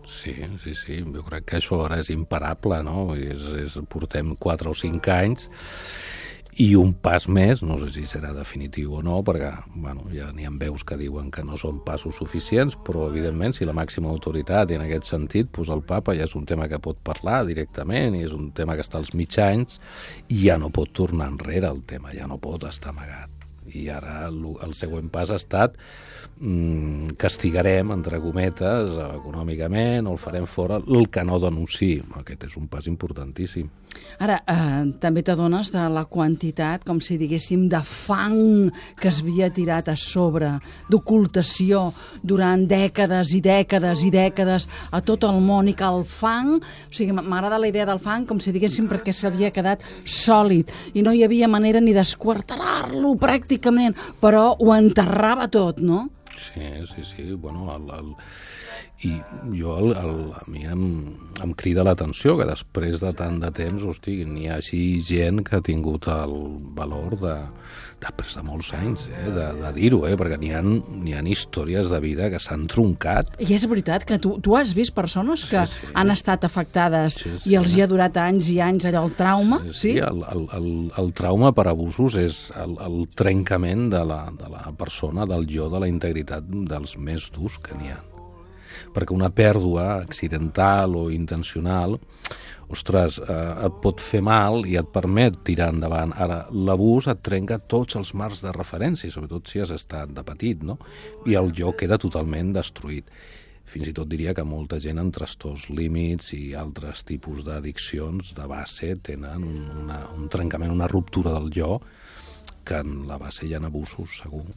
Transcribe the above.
Sí. Jo crec que això ara és imparable, no? Portem 4 o 5 anys i un pas més, no sé si serà definitiu o no, perquè ja n'hi ha veus que diuen que no són passos suficients, però evidentment si la màxima autoritat, i en aquest sentit el papa ja és un tema que pot parlar directament i és un tema que està als mitjans, i ja no pot tornar enrere el tema, ja no pot estar amagat. I ara el següent pas ha estat castigarem, entre cometes, econòmicament, o el farem fora, el que no denunciï. Aquest és un pas importantíssim. Ara, també t'adones de la quantitat, com si diguéssim, de fang que es havia tirat a sobre, d'ocultació durant dècades i dècades i dècades a tot el món, i que el fang, o sigui, m'agrada la idea del fang, com si diguéssim, perquè s'havia quedat sòlid, i no hi havia manera ni d'esquarterar-lo pràcticament, però ho enterrava tot, no? Sí. Bueno, i a mi em crida l'atenció que després de tant de temps, hosti, n'hi ha així gent que ha tingut el valor després de molts anys, de dir-ho, perquè n'hi ha històries de vida que s'han troncat. I és veritat que tu has vist persones que han estat afectades i els hi ha durat anys i anys allò, el trauma? Sí. El trauma per abusos és el trencament de la persona, del jo, de la integritat dels més durs que n'hi ha. Perquè una pèrdua accidental o intencional, ostres, et pot fer mal i et permet tirar endavant. Ara, l'abús et trenca tots els marcs de referència, sobretot si has estat de petit, no? I el jo queda totalment destruït. Fins i tot diria que molta gent amb trastorns límits i altres tipus d'addiccions de base tenen un trencament, una ruptura del jo, que en la base hi ha abusos, segur.